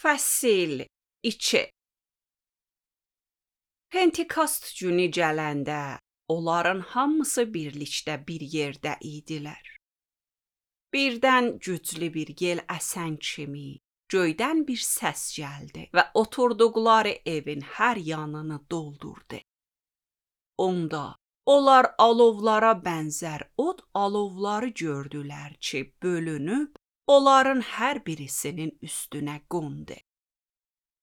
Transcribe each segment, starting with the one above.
Fəsil 2. Pentekost günü gələndə onların hamısı birlikdə bir yerdə idilər. Birdən güclü bir yel əsən kimi göydən bir səs gəldi və oturduqları evin hər yanını doldurdu. Onda onlar alovlara bənzər od alovları gördülər ki, bölünüb onların hər birisinin üstünə qondu.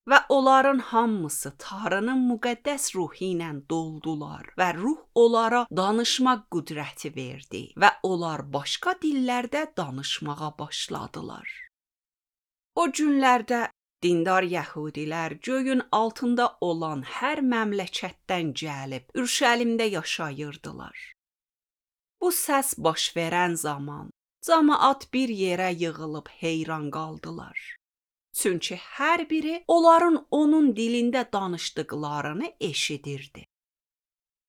Və onların hamısı Tanrının müqəddəs ruhu ilə doldular və ruh onlara danışmaq qüdrəti verdi və onlar başqa dillərdə danışmağa başladılar. O günlərdə dindar yəhudilər göyün altında olan hər məmləkətdən gəlib Ürüşəlimdə yaşayırdılar. Bu səs baş verən zaman cəmaət bir yerə yığılıb heyran qaldılar. Çünki hər biri onların onun dilində danışdıqlarını eşidirdi.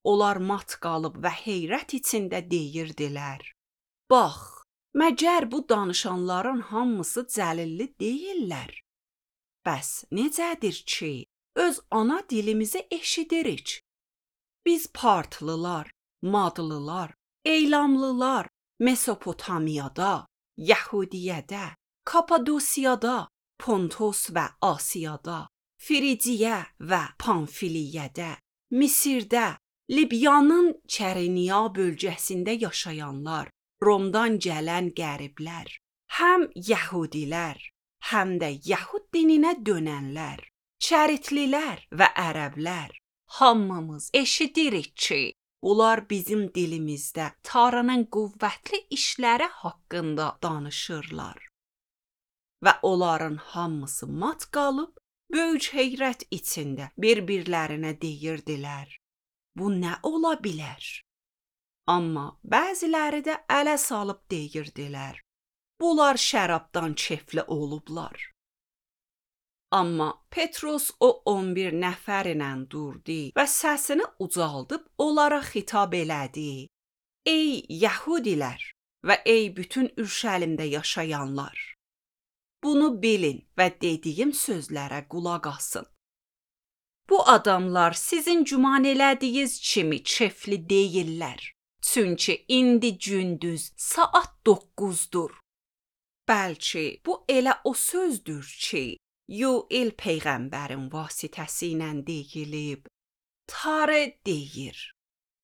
Onlar mat qalıb və heyrət içində deyirdilər: Bax, məgər bu danışanların hamısı Cəlilli deyillər? Bəs necədir ki, öz ana dilimizi eşidirik? Biz partlılar, madlılar, eylamlılar, Mesopotamiyada, Yəhudiyədə, Kapadosiyada, Pontos və Asiyada, Frigiya və Pamfiliyədə, Misirdə, Libyanın Çəreniya bölgəsində yaşayanlar, Romdan gələn qəriblər, həm yəhudilər, həm də Yəhud dininə dönənlər, Çəritlilər və ərəblər, hamımız eşidirik ki, bunlar bizim dilimizdə Tanrının qüvvətli işləri haqqında danışırlar. Və onların hamısı mat qalıb, böyük heyrət içində bir-birlərinə deyirdilər: Bu nə ola bilər? Amma bəziləri də ələ salıb deyirdilər: Bunlar şərabdan kefli olublar. Amma Petros o 11 nəfər ilə durdu və səsini ucaldıb onlara xitab elədi: Ey yəhudilər və ey bütün Ürüşəlimdə yaşayanlar! Bunu bilin və dediyim sözlərə qulaq asın. Bu adamlar sizin güman elədiyiniz kimi kefli deyillər. Çünki indi gündüz saat 9-dur. Bəlkə bu elə o sözdür ki, Yoel peyğəmbərin vasitəsilə deyilib. Tanrı deyir: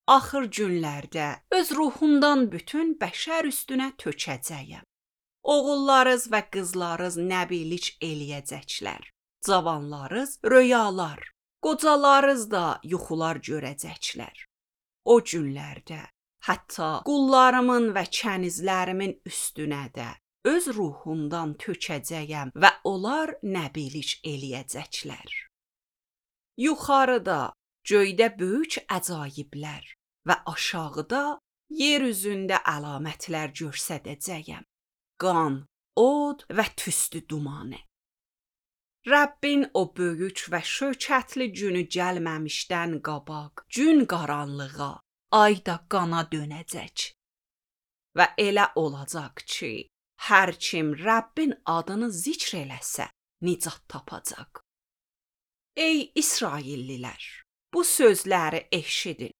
Axır günlərdə öz ruhumdan bütün bəşər üstünə tökəcəyəm. Oğullarınız və qızlarınız nəbilik eləyəcəklər. Cavanlarınız röyalar, qocalarınız da yuxular görəcəklər. O günlərdə hətta qullarımın və kənizlərimin üstünə də öz ruhumdan tökəcəyəm və onlar nəbilik eləyəcəklər. Yuxarıda göydə böyük əcaiblər və aşağıda yer üzündə əlamətlər göstərəcəyəm. Qan, od və tüstü dumanı. Rəbbin o böyük və şökətli günü gəlməmişdən qabaq gün qaranlığa, ay da qana dönəcək. Və elə olacaq ki, hər kim Rəbbin adını zikr eləsə, nicat tapacaq. Ey İsraillilər, bu sözləri eşidin.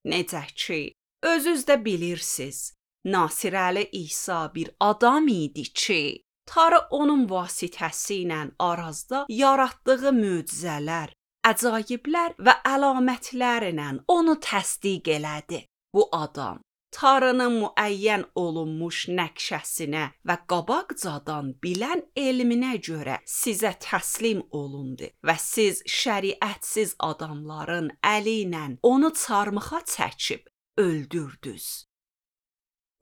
Necə ki, özünüz də bilirsiniz, Nasirəli İsa bir adam idi ki, Tanrı onun vasitəsi ilə arazda yaratdığı möcüzələr, əcaiblər və əlamətlərlə onu təsdiq elədi. Bu adam Tanrının müəyyən olunmuş nəqşəsinə və qabaqcadan bilən elminə görə sizə təslim olundu və siz şəriətsiz adamların əli ilə onu çarmıxa çəkib öldürdünüz.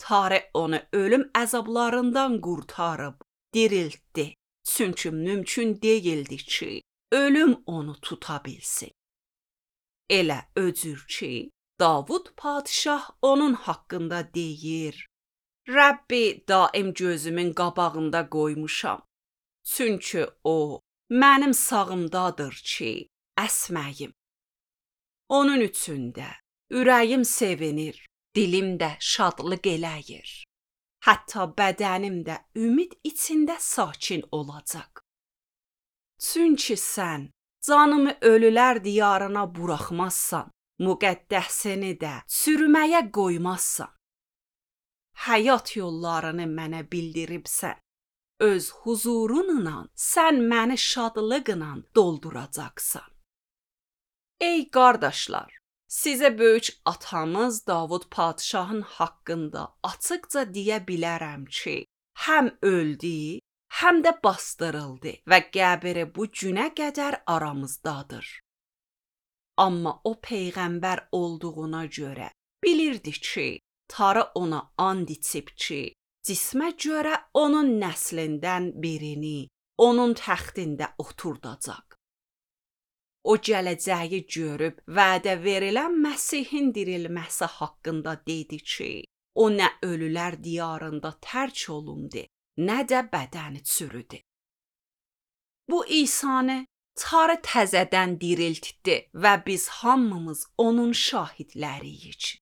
Tanrı onu ölüm əzablarından qurtarıb, diriltdi. Çünki mümkün deyildi ki, ölüm onu tuta bilsin. Elə öcür ki, Davud padişah onun haqqında deyir: Rəbbi daim gözümün qabağında qoymuşam. Çünki o, mənim sağımdadır ki, əsməyim. Onun üçündə ürəyim sevinir. Dilim də şadlıq eləyir. Hətta bədənim də ümid içində sakin olacaq. Çünki sən canımı ölülər diyarına buraxmazsan, müqəddəsini də çürüməyə qoymazsan. Həyat yollarını mənə bildiribsən. Öz huzurunla sən məni şadlıqla dolduracaqsan. Ey qardaşlar, sizə böyük atamız Davud padşahın haqqında açıqca deyə bilərəm ki, həm öldü, həm də bastırıldı və qəbri bu günə qədər aramızdadır. Amma o peyğəmbər olduğuna görə bilirdi ki, Tanrı ona and içib ki, cismə görə onun nəslindən birini onun təxtində oturdacaq. O gələcəyi görüb vədə verilən Məsihin dirilməsi haqqında dedi ki, o nə ölülər diyarında tərk olundu, nə də bədəni çürüdü. Bu İsanı Tanrı təzədən diriltdi və biz hamımız onun şahidləriyik.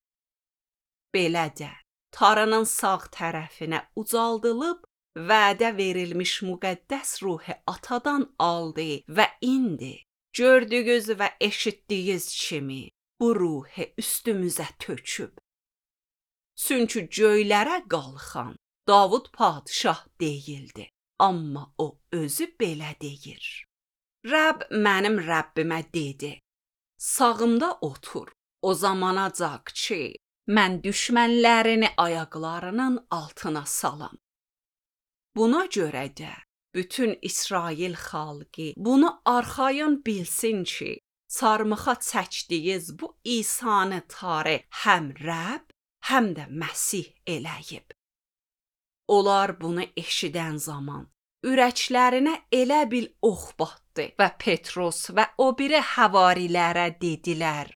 Belə də Tanrının sağ tərəfinə ucaldılıb, vədə verilmiş müqəddəs ruhu atadan aldı və indi gördüyünüz və eşitdiyiniz kimi bu ruhu üstümüzə töküb. Çünki göylərə qalxan Davud padşah deyildi, amma o özü belə deyir. Rəbb mənim Rəbbimə dedi, sağımda otur, o zamanacaq ki, mən düşmənlərini ayaqlarının altına salam. Buna görə də bütün İsrail xalqı bunu arxayın bilsin ki, çarmıxa çəkdiyiniz bu İsanı Tanrı həm Rəbb, həm də Məsih eləyib. Onlar bunu eşidən zaman ürəklərinə elə bil ox batdı və Petros və o biri həvarilərə dedilər,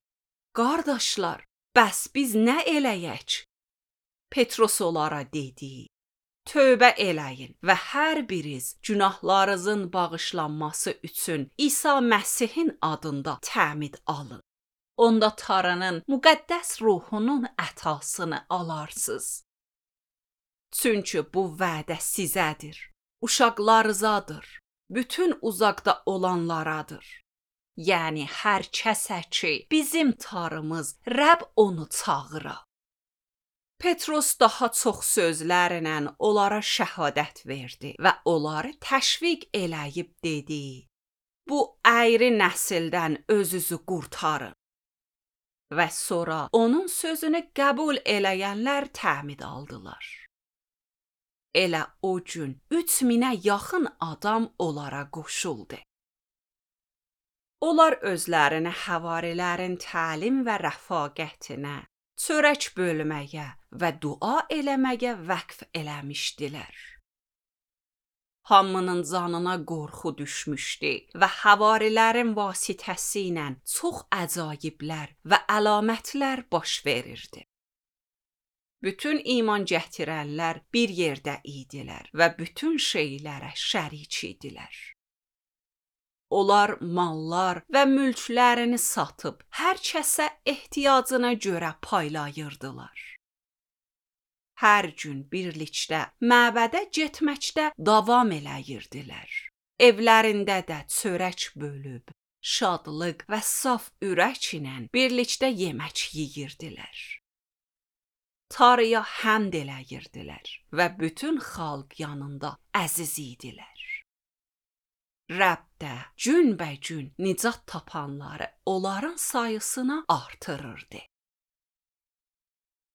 qardaşlar, bəs biz nə eləyək? Petros onlara dedi, tövbə eləyin və hər biriz günahlarınızın bağışlanması üçün İsa Məsihin adında təmid alın. Onda Tanrının müqəddəs ruhunun ətasını alarsınız. Çünki bu vədə sizədir, uşaqlarınızadır, bütün uzaqda olanlaradır. Yəni hər kəsə ki, bizim Tanrımız Rəbb onu çağıra. Petros daha çox sözlərlə onlara şəhadət verdi və onları təşviq eləyib dedi, bu əyri nəsildən özünüzü qurtarın. Və sonra onun sözünü qəbul eləyənlər təmid aldılar. Elə o gün 3000-ə yaxın adam onlara qoşuldu. Onlar özlərini həvarilərin təlim və rəfaqətinə, çörək bölməyə və dua eləməyə vəqf eləmişdilər. Hamının canına qorxu düşmüşdü və həvarilərin vasitəsilə çox əcaiblər və əlamətlər baş verirdi. Bütün iman gətirənlər bir yerdə idilər və bütün şeylərə şərik idilər. Onlar mallar və mülklərini satıb, hər kəsə ehtiyacına görə paylayırdılar. Hər gün birlikdə məbədə getməkdə davam eləyirdilər. Evlərində də çörək bölüb, şadlıq və saf ürək ilə birlikdə yemək yeyirdilər. Tanrıya həmd eləyirdilər və bütün xalq yanında əziz idilər. Rəbb də günbəgün nicat tapanları onların sayısını artırırdı.